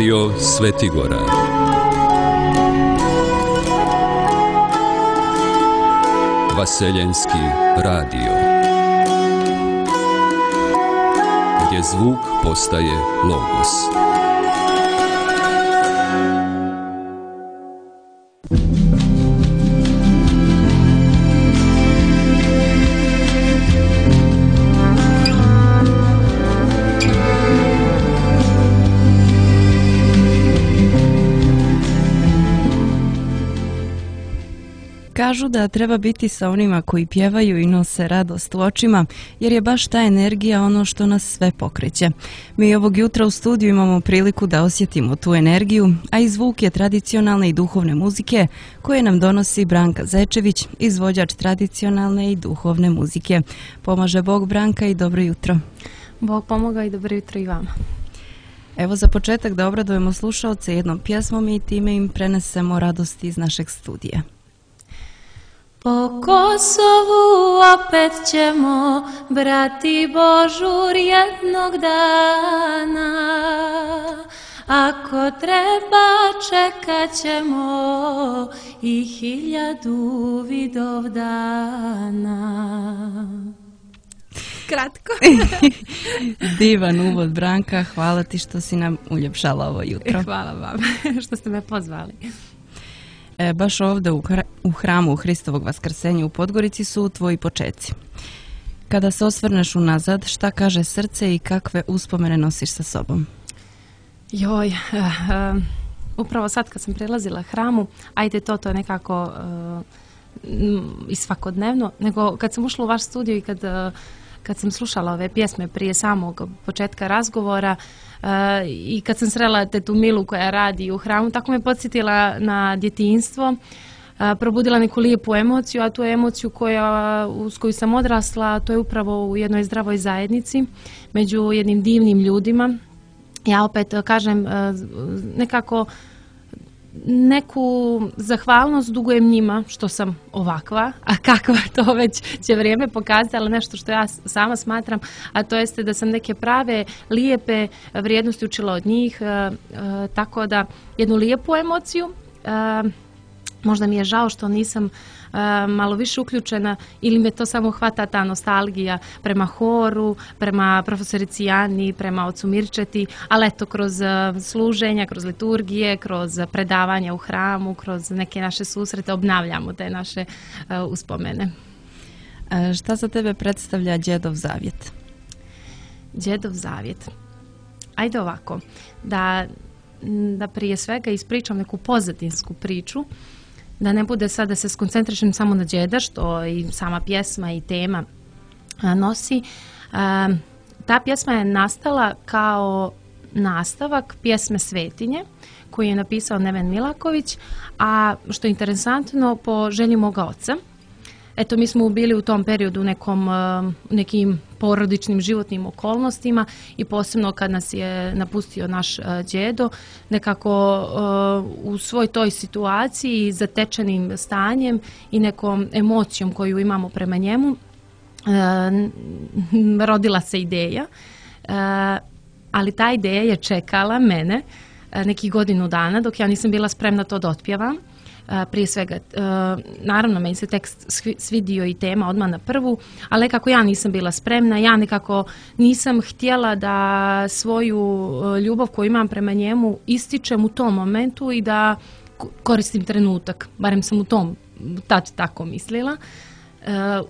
Radio Svetigora. Vaseljenski radio. Gdje zvuk postaje logos. Kažu da treba biti sa onima koji pjevaju i nose radost u očima, jer je baš ta energija ono što nas sve pokreće. Mi ovog jutra u studiju imamo priliku da osjetimo tu energiju, a i zvuk je tradicionalne i duhovne muzike koje nam donosi Branka Zečević, izvođač tradicionalne i duhovne muzike. Pomaže Bog, Branka, i dobro jutro. Bog pomoga i dobro jutro i vama. Evo za početak da obradujemo slušaoce jednom pjesmom i time im prenesemo radosti iz našeg studija. Po Kosovu opet ćemo brati Božur jednog dana, ako treba čekat ćemo i 1000 Vidovdana. Kratko. Divan uvod, Branka, hvala ti što si nam uljepšala ovo jutro. Hvala vam što ste me pozvali. Baš ovdje u hramu Hristovog Vaskrsenja u Podgorici su tvoji počeci. Kada se osvrneš unazad, šta kaže srce i kakve uspomene nosiš sa sobom? Upravo sad kad sam prilazila hramu, ajde to je nekako i svakodnevno, nego kad sam ušla u vaš studio i kad sam slušala ove pjesme prije samog početka razgovora i kad sam srela tetu Milu koja radi u hramu, tako me podsjetila na djetinjstvo, probudila neku lijepu emociju, a tu emociju uz koju sam odrasla, to je upravo u jednoj zdravoj zajednici, među jednim divnim ljudima. Ja opet kažem nekako neku zahvalnost dugujem njima što sam ovakva, a kakva to već će vrijeme pokazati, ali nešto što ja sama smatram, a to jeste da sam neke prave, lijepe vrijednosti učila od njih, tako da jednu lijepu emociju. Možda mi je žao što nisam malo više uključena ili me to samo hvata ta nostalgija prema horu, prema profesorici Jani, prema ocu Mirčeti, ali eto kroz služenja, kroz liturgije, kroz predavanja u hramu, kroz neke naše susrete obnavljamo te naše uspomene. Šta za tebe predstavlja Đedov zavjet? Đedov zavjet. Ajde ovako, da prije svega ispričam neku pozadinsku priču, da ne bude sad da se skoncentrišem samo na Đeda, što i sama pjesma i tema nosi. Ta pjesma je nastala kao nastavak pjesme Svetinje, koju je napisao Neven Milaković, a što je interesantno, po želji moga oca. Eto, mi smo bili u tom periodu u nekim porodičnim životnim okolnostima i posebno kad nas je napustio naš đedo, nekako u svoj toj situaciji, zatečenim stanjem i nekom emocijom koju imamo prema njemu, rodila se ideja, ali ta ideja je čekala mene nekih godinu dana dok ja nisam bila spremna to da otpjevam. Prije svega, naravno meni se tekst svidio i tema odmah na prvu, ali nekako ja nisam bila spremna, ja nekako nisam htjela da svoju ljubav koju imam prema njemu ističem u tom momentu i da koristim trenutak, barem sam u tom tad tako mislila,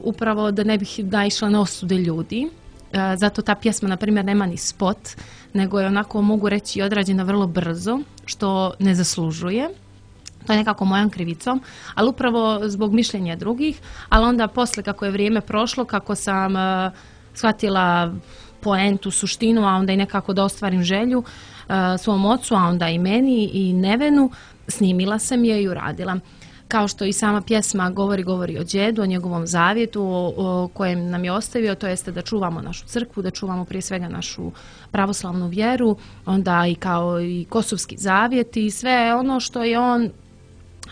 upravo da ne bih naišla na osude ljudi. Zato ta pjesma, na primjer, nema ni spot, nego je onako, mogu reći, odrađena vrlo brzo, što ne zaslužuje. To je nekako mojom krivicom, ali upravo zbog mišljenja drugih, ali onda posle kako je vrijeme prošlo, kako sam shvatila poentu, suštinu, a onda i nekako da ostvarim želju svom ocu, a onda i meni i Nevenu, snimila sam je i uradila. Kao što i sama pjesma govori o đedu, o njegovom zavjetu o kojem nam je ostavio, to jeste da čuvamo našu crkvu, da čuvamo prije svega našu pravoslavnu vjeru, onda i kao i kosovski zavjet i sve ono što je on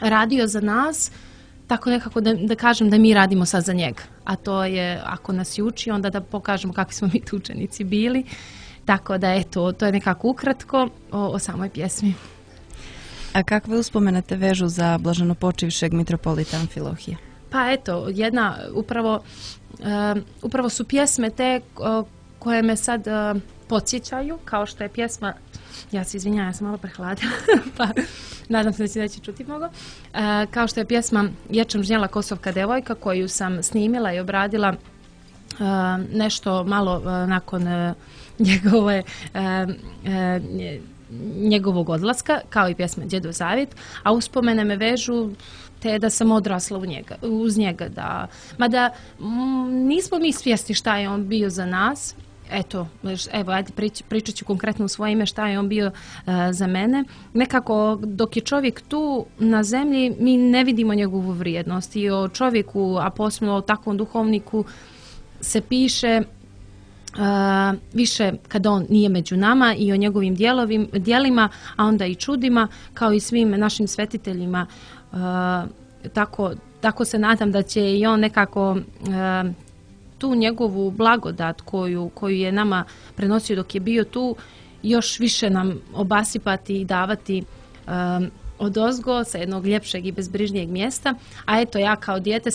radio za nas, tako nekako da kažem da mi radimo sad za njega. A to je, ako nas i uči, onda da pokažemo kakvi smo mi tu učenici bili Tako da eto, to je nekako ukratko o samoj pjesmi. A kakve uspomene te vežu za blaženopočivšeg mitropolita Amfilohija? Pa eto, upravo su pjesme te koje me sad podsjećaju, kao što je pjesma, ja se izvinjavam, ja sam malo prehladila, pa nadam se da će neće čuti mnogo, kao što je pjesma Ječam žnjela Kosovka devojka, koju sam snimila i obradila nešto malo nakon njegovog odlaska, kao i pjesma Djedov zavjet, a uspomene me vežu te da sam odrasla uz njega. Mada nismo mi svjesni šta je on bio za nas. Evo, ajde pričat ću konkretno u svoje ime šta je on bio za mene. Nekako dok je čovjek tu na zemlji mi ne vidimo njegovu vrijednost i o čovjeku, a posebno o takvom duhovniku se piše više kada on nije među nama i o njegovim djelima, a onda i čudima, kao i svim našim svetiteljima. Tako se nadam da će i on nekako tu njegovu blagodat koju je nama prenosio dok je bio tu još više nam obasipati i davati odozgo sa jednog ljepšeg i bezbrižnijeg mjesta. A eto, ja kao dijete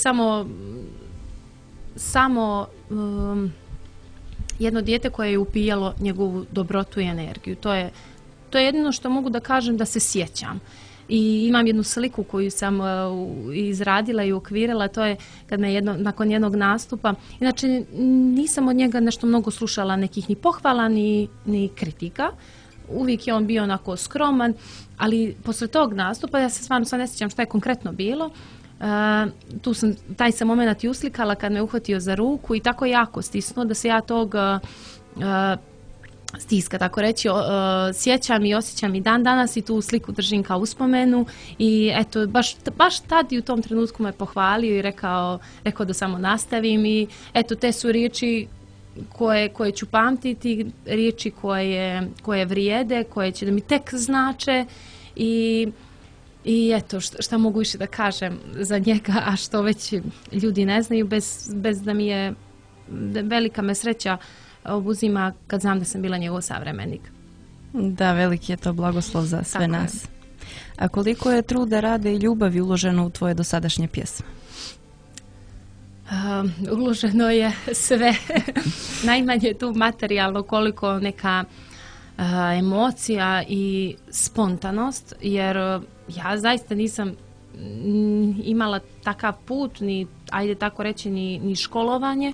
samo jedno dijete koje je upijalo njegovu dobrotu i energiju. To je jedino što mogu da kažem da se sjećam. I imam jednu sliku koju sam izradila i ukvirila, to je kad me nakon jednog nastupa, inače nisam od njega nešto mnogo slušala nekih ni pohvala ni kritika, uvijek je on bio onako skroman, ali posle tog nastupa, ja se stvarno sad ne sjećam šta je konkretno bilo, taj sam moment i uslikala kad me uhvatio za ruku i tako jako stisnuo da se ja tog stiska, tako reći, sjećam i osjećam i dan danas i tu sliku držim kao uspomenu i eto, baš tad i u tom trenutku me pohvalio i rekao da samo nastavim i eto, te su riječi koje ću pamtiti, riječi koje vrijede, koje će da mi tek znače i eto, šta mogu više da kažem za njega, a što već ljudi ne znaju, bez da mi je velika me sreća obuzima kad znam da sam bila njegov savremenik. Da, veliki je to blagoslov za sve nas. A koliko je truda, rada i ljubavi uloženo u tvoje dosadašnje pjesme? Uloženo je sve. Najmanje tu materijalno, koliko neka emocija i spontanost, jer ja zaista nisam imala takav put, ni, ajde tako reći, ni školovanje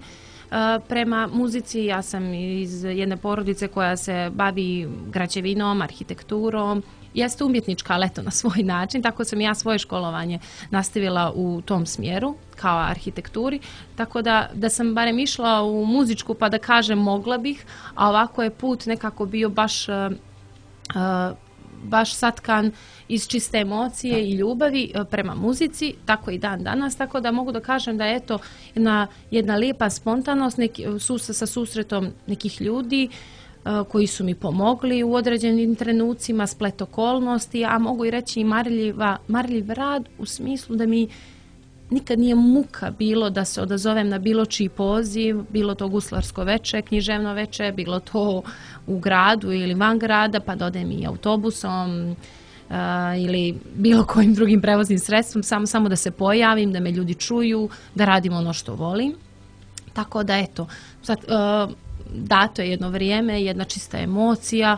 prema muzici. Ja sam iz jedne porodice koja se bavi građevinom, arhitekturom. Jeste umjetnička, ali eto na svoj način, tako sam ja svoje školovanje nastavila u tom smjeru, kao arhitekturi, tako da sam barem išla u muzičku pa da kažem mogla bih, a ovako je put nekako bio baš satkan iz čiste emocije i ljubavi prema muzici, tako i dan danas, tako da mogu da kažem da je eto jedna lijepa spontanost sa susretom nekih ljudi koji su mi pomogli u određenim trenucima, splet okolnosti, a mogu i reći i marljiv rad u smislu da mi nikad nije muka bilo da se odazovem na bilo čiji poziv, bilo to guslarsko veče, književno veče, bilo to u gradu ili van grada, pa da odem i autobusom ili bilo kojim drugim prevoznim sredstvom, samo da se pojavim, da me ljudi čuju, da radim ono što volim. Tako da eto, sad dato je jedno vrijeme, jedna čista emocija,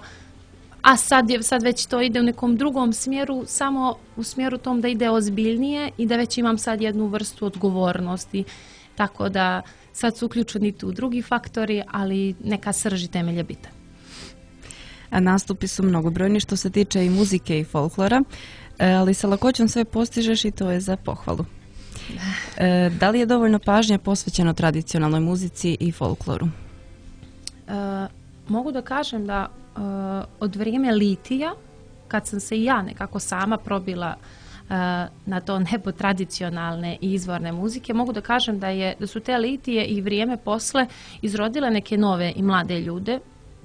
a sad već to ide u nekom drugom smjeru, samo u smjeru tom da ide ozbiljnije i da već imam sad jednu vrstu odgovornosti. Tako da sad su uključeni tu drugi faktori, ali neka srž i temelj je bitan. A nastupi su mnogobrojni što se tiče i muzike i folklora, ali sa lakoćom sve postižeš i to je za pohvalu. Da li je dovoljno pažnje posvećeno tradicionalnoj muzici i folkloru? Mogu da kažem da od vrijeme litija, kad sam se i ja nekako sama probila na to nebo tradicionalne i izvorne muzike, mogu da kažem da su te litije i vrijeme posle izrodile neke nove i mlade ljude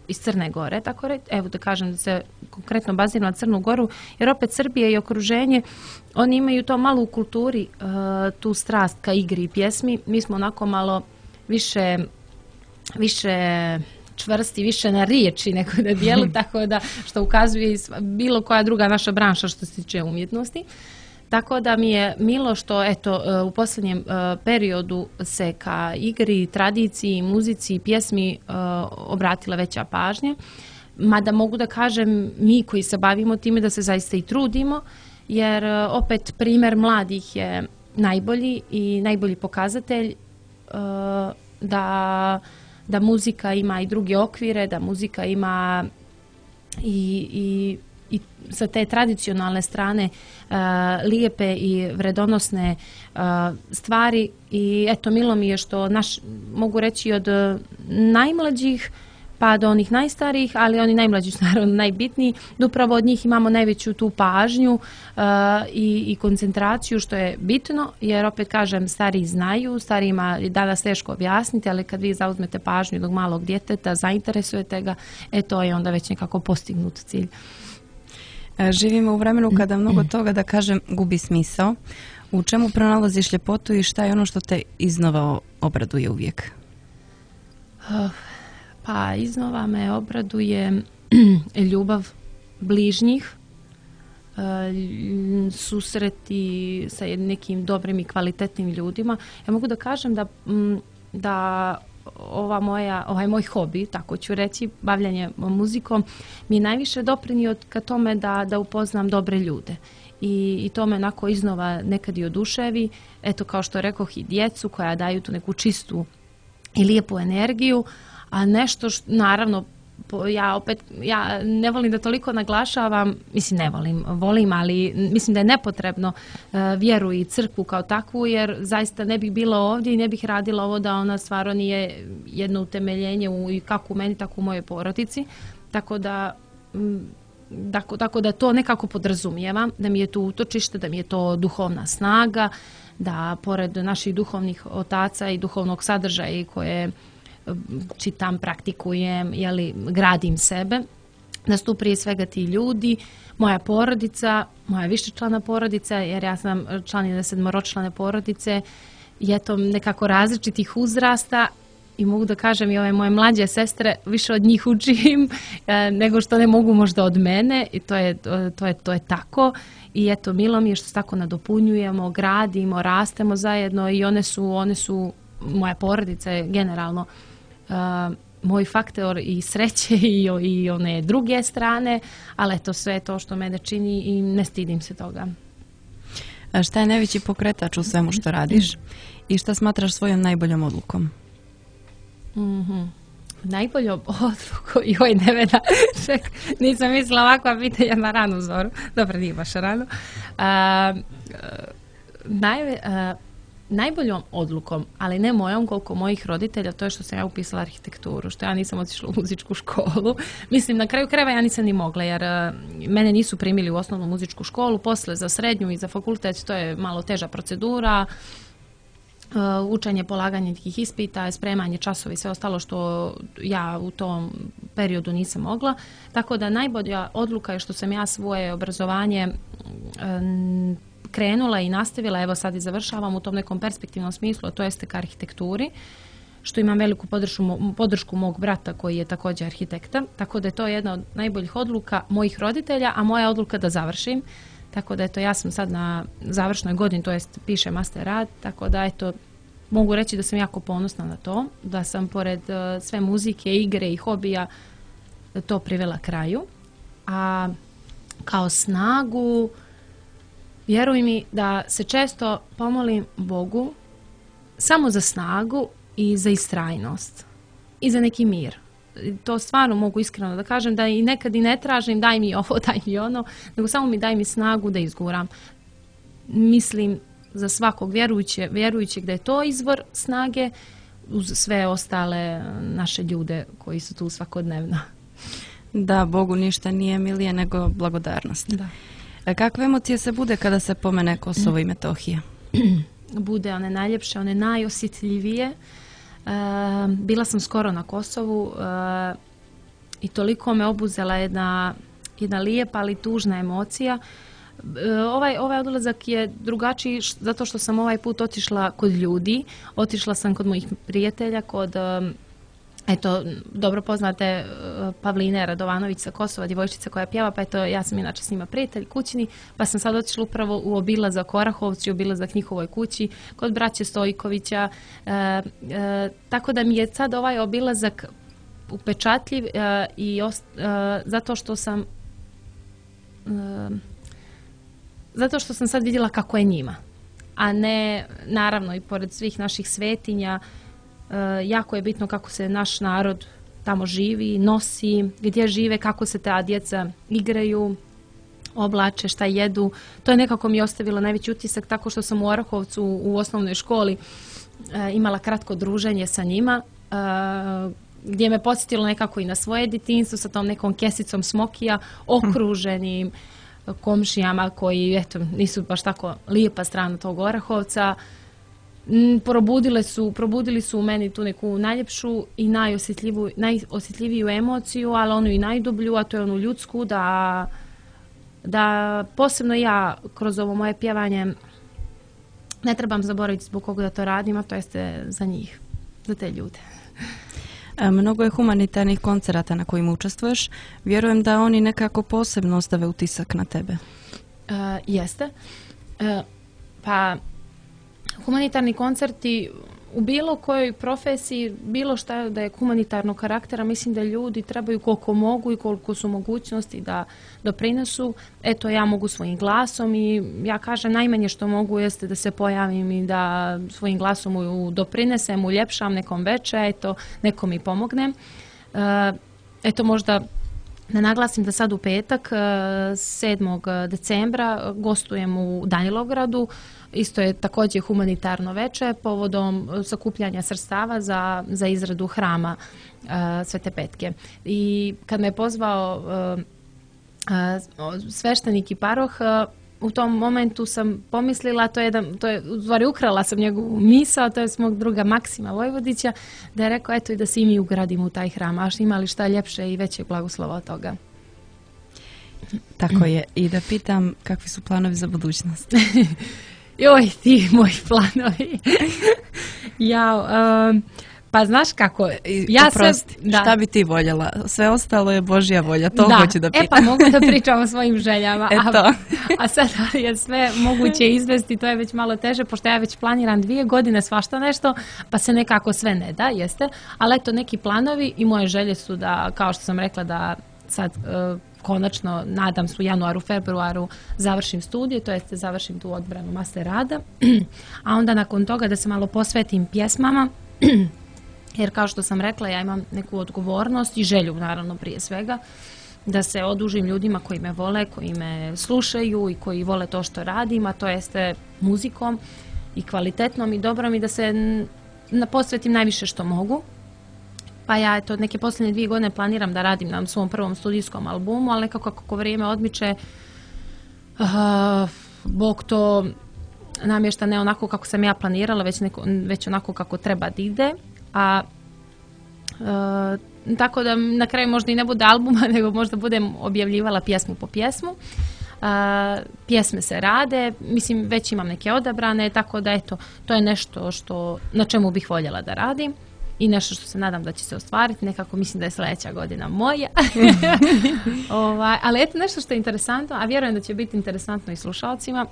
iz Crne Gore, tako reći. Evo da kažem da se konkretno baziram na Crnu Goru, jer opet Srbije i okruženje, oni imaju to malo u kulturi, tu strast ka igri i pjesmi. Mi smo onako malo više čvrsti više na riječi nego na dijelu, tako da što ukazuje i bilo koja druga naša branša što se tiče umjetnosti. Tako da mi je milo što eto, u posljednjem periodu se ka igri, tradiciji, muzici i pjesmi obratila veća pažnja. Mada mogu da kažem mi koji se bavimo time da se zaista i trudimo, jer opet primjer mladih je najbolji i najbolji pokazatelj da muzika ima i druge okvire, da muzika ima i sa te tradicionalne strane lijepe i vredonosne stvari. I eto, milo mi je što mogu reći od najmlađih pa do onih najstarijih, ali oni najmlađi su naravno najbitniji, da upravo od njih imamo najveću tu pažnju i koncentraciju, što je bitno, jer opet kažem, stariji znaju, starijima je danas teško objasniti, ali kad vi zauzmete pažnju jednog malog djeteta, zainteresujete ga, to je onda već nekako postignut cilj. Živimo u vremenu kada mnogo toga, da kažem, gubi smisao. U čemu pronalaziš ljepotu i šta je ono što te iznova obraduje uvijek? Pa iznova me obraduje ljubav bližnjih, susreti sa nekim dobrim i kvalitetnim ljudima. Ja mogu da kažem da ovaj moj hobi, tako ću reći, bavljanje muzikom, mi je najviše doprinio ka tome da upoznam dobre ljude. I to me onako iznova nekad i oduševi. Eto, kao što rekoh, i djecu koja daju tu neku čistu i lijepu energiju, a nešto naravno, ja ne volim da toliko naglašavam, mislim ne volim, ali mislim da je nepotrebno vjeru i crkvu kao takvu, jer zaista ne bih bila ovdje i ne bih radila ovo da ona stvarno nije jedno utemeljenje i kako u meni, tako u mojoj porodici. Tako da to nekako podrazumijevam, da mi je to utočište, da mi je to duhovna snaga, da pored naših duhovnih otaca i duhovnog sadržaja koje čitam, praktikujem, gradim sebe, da su tu prije svega ti ljudi, moja porodica, moja višečlana porodica, jer ja sam članina 7-člane porodice i eto nekako različitih uzrasta i mogu da kažem i ove moje mlađe sestre, više od njih učim nego što ne mogu možda od mene i to je tako. I eto, milo mi je što se tako nadopunjujemo, gradimo, rastemo zajedno i one su moja porodica je generalno moj faktor i sreće i one druge strane, ali eto, sve to što mene čini i ne stidim se toga. A šta je najveći pokretač u svemu što radiš i šta smatraš svojom najboljom odlukom? Najboljom odlukom? Joj, Nevena, nisam mislila ovakva pitanja na ranu zoru. Dobro, nije baš rano. Najboljom odlukom, ali ne mojom koliko mojih roditelja, to je što sam ja upisala arhitekturu, što ja nisam otišla u muzičku školu. Mislim, na kraju krajeva ja nisam ni mogla, jer mene nisu primili u osnovnu muzičku školu, posle za srednju i za fakultet, to je malo teža procedura, učenje, polaganje nekih ispita, spremanje časova i sve ostalo što ja u tom periodu nisam mogla. Tako da najbolja odluka je što sam ja svoje obrazovanje krenula i nastavila, evo sad i završavam u tom nekom perspektivnom smislu, a to jeste ka arhitekturi, što imam veliku podršku mog brata koji je također arhitekta, tako da je to jedna od najboljih odluka mojih roditelja, a moja odluka da završim. Tako da eto, ja sam sad na završnoj godini, to jest pišem master rad, tako da eto, mogu reći da sam jako ponosna na to, da sam pored sve muzike, igre i hobija to privela kraju. A kao snagu, vjeruj mi da se često pomolim Bogu samo za snagu i za istrajnost i za neki mir. To stvarno mogu iskreno da kažem, da i nekad i ne tražim daj mi ovo, daj mi ono, nego samo mi daj mi snagu da izguram. Mislim za svakog vjerujućeg da je to izvor snage uz sve ostale naše ljude koji su tu svakodnevno. Da, Bogu ništa nije milije nego blagodarnost. Da. Kakve emocije se bude kada se pomene Kosovo i Metohija? Bude one najljepše, one najosjetljivije. Bila sam skoro na Kosovu i toliko me obuzela jedna lijepa ali tužna emocija. Ovaj odlazak je drugačiji zato što sam ovaj put otišla kod ljudi, otišla sam kod mojih prijatelja, kod eto, dobro poznate Pavline Radovanović sa Kosova, djevojčica koja pjeva, pa eto, ja sam inače s njima prijatelj kućni, pa sam sad otišla upravo u obilazak Orahovcu, obilazak njihovoj kući, kod braće Stojkovića, tako da mi je sad ovaj obilazak upečatljiv zato što sam sad vidjela kako je njima, a ne, naravno, i pored svih naših svetinja, jako je bitno kako se naš narod tamo živi, nosi, gdje žive, kako se ta djeca igraju, oblače, šta jedu. To je nekako mi ostavilo najveći utisak, tako što sam u Orahovcu u osnovnoj školi imala kratko druženje sa njima, gdje me podsjetilo nekako i na svoje djetinjstvo sa tom nekom kesicom smokija, okruženim komšijama koji, eto, nisu baš tako lijepa strana tog Orahovca. Probudili su u meni tu neku najljepšu i najosjetljiviju emociju, ali onu i najdublju, a to je onu ljudsku, da posebno ja kroz ovo moje pjevanje ne trebam zaboraviti zbog koga da to radim, a to jeste za njih, za te ljude. Mnogo je humanitarnih koncerata na kojima učestvuješ. Vjerujem da oni nekako posebno ostave utisak na tebe. Jeste. Pa humanitarni koncerti u bilo kojoj profesiji, bilo šta da je humanitarnog karaktera, mislim da ljudi trebaju koliko mogu i koliko su mogućnosti da doprinesu. Eto, ja mogu svojim glasom i ja kažem najmanje što mogu jeste da se pojavim i da svojim glasom doprinesem, uljepšam nekom veče, eto, nekom i pomognem. Eto, možda da naglasim da sad u petak, 7. decembra, gostujem u Danilovgradu. Isto je također humanitarno veče povodom sakupljanja sredstava za izradu hrama Svete Petke. I kad me je pozvao sveštenik i paroh, u tom momentu sam pomislila, u stvari ukrala sam njegovu misao, to je s mog druga Maksima Vojvodića, da je rekao eto i da se i mi ugradimo u taj hram, a ima li šta ljepše i većeg blagoslova od toga. Tako je. I da pitam kakvi su planovi za budućnost? Joj, ti moji planovi. Pa znaš kako, šta bi ti voljela? Sve ostalo je Božja volja, to hoću da pitam. Pa mogu da pričam o svojim željama, a sad je sve moguće izvesti, to je već malo teže, pošto ja već planiram 2 godine svašta nešto, pa se nekako sve ne da, jeste, ali eto neki planovi i moje želje su da, kao što sam rekla, da sad konačno, nadam se u januaru, februaru završim studije, to jest završim tu odbranu master rada, a onda nakon toga da se malo posvetim pjesmama, jer kao što sam rekla, ja imam neku odgovornost i želju, naravno, prije svega, da se odužim ljudima koji me vole, koji me slušaju i koji vole to što radim, a to jeste muzikom i kvalitetnom i dobrom i da se posvetim najviše što mogu. Pa ja eto neke posljednje 2 godine planiram da radim na svom prvom studijskom albumu, ali nekako kako vrijeme odmiče, Bog to namješta ne onako kako sam ja planirala, već onako kako treba da ide. Tako da na kraju možda i ne bude albuma, nego možda budem objavljivala pjesmu po pjesmu. Pjesme se rade, mislim već imam neke odabrane, tako da eto, to je nešto na čemu bih voljela da radim i nešto što se nadam da će se ostvariti, nekako mislim da je sljedeća godina moja. Ali eto nešto što je interesantno, a vjerujem da će biti interesantno i slušalcima,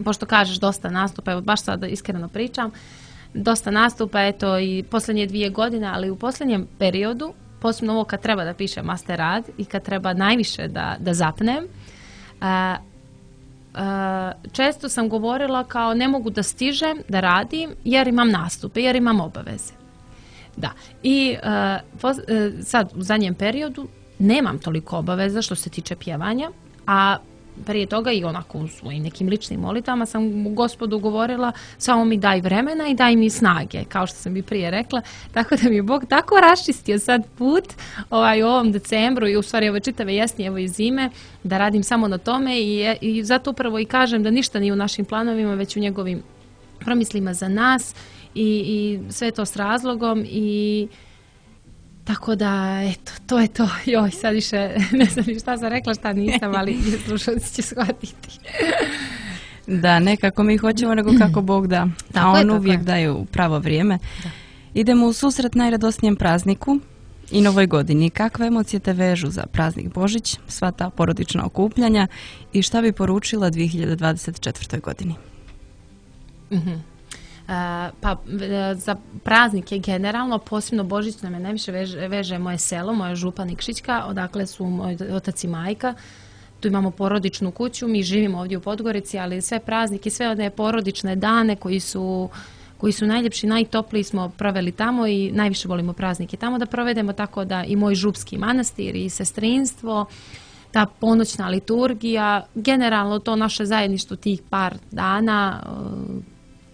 pošto kažeš dosta nastupa, evo baš sada iskreno pričam, dosta nastupa, eto i posljednje 2 godine, ali u posljednjem periodu, posebno ovo kad treba da pišem master rad i kad treba najviše da zapnem, često sam govorila kao ne mogu da stižem da radim jer imam nastupe, jer imam obaveze. Da, i sad u zadnjem periodu nemam toliko obaveza što se tiče pjevanja, a prije toga i onako u svojim nekim ličnim molitvama sam Gospodu govorila samo mi daj vremena i daj mi snage, kao što sam i prije rekla, tako da mi je Bog tako raščistio sad put u ovom decembru i u stvari ove čitave jesni, evo i zime, da radim samo na tome i zato upravo i kažem da ništa nije u našim planovima, već u njegovim promislima za nas i sve to s razlogom i tako da, eto, to je to. Joj, sad više ne znam šta sam rekla, šta nisam, ali slušalci će shvatiti. Da, ne kako mi hoćemo, nego kako Bog da. A on uvijek daje u pravo vrijeme. Da. Idemo u susret najradosnijem prazniku i novoj godini. Kakve emocije te vežu za praznik Božić, sva ta porodična okupljanja i šta bi poručila 2024. godini? Za praznike generalno, posebno Božić me najviše veže moje selo, moja župa Nikšićka, odakle su moj otac i majka. Tu imamo porodičnu kuću, mi živimo ovdje u Podgorici, ali sve praznike, sve one porodične dane koji su najljepši, najtopliji smo proveli tamo i najviše volimo praznike tamo da provedemo, tako da i moj župski manastir i sestrinstvo, ta ponoćna liturgija, generalno to naše zajedništvo tih par dana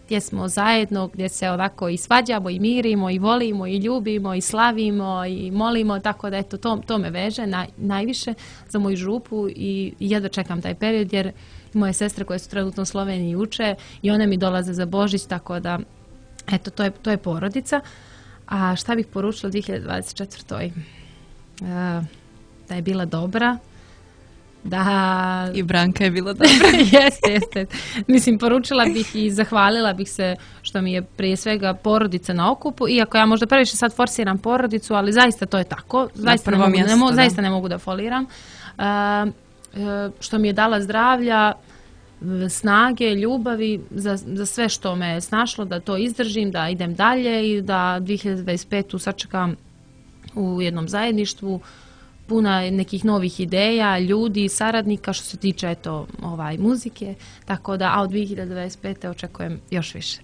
gdje smo zajedno, gdje se ovako i svađamo i mirimo i volimo i ljubimo i slavimo i molimo, tako da eto to me veže najviše za moju župu i jedva čekam taj period jer moje sestre koje su trenutno u Sloveniji uče i one mi dolaze za Božić, tako da eto to je porodica. A šta bih poručila 2024. Da je bila dobra, da... I Branka je bila dobra. Jeste. Mislim, poručila bih i zahvalila bih se što mi je prije svega porodica na okupu, iako ja možda previše sad forsiram porodicu, ali zaista to je tako. Zaista ne mogu da foliram. Što mi je dala zdravlja, snage, ljubavi za sve što me je snašlo, da to izdržim, da idem dalje i da 2025. sačekam u jednom zajedništvu puna nekih novih ideja, ljudi, saradnika što se tiče muzike, tako da od 2025. očekujem još više.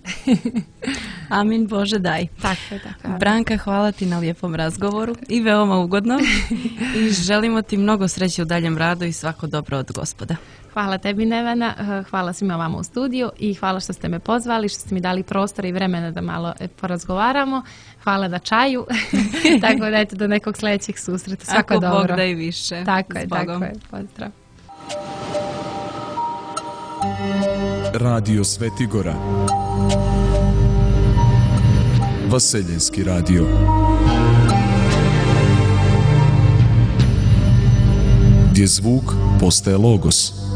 Amin, Bože daj. Tako. Branka, hvala ti na lijepom razgovoru i veoma ugodno i želimo ti mnogo sreće u daljem radu i svako dobro od Gospoda. Hvala tebi, Nevena, hvala svima vama u studiju i hvala što ste me pozvali, što ste mi dali prostor i vremena da malo porazgovaramo. Hvala na čaju, tako da eto do nekog sljedećeg susreta. Svako dobro. Ako Bog da i više. Tako je. Pozdrav. Radio Svetigora, Vaseljenski radio. Gdje zvuk postaje logos.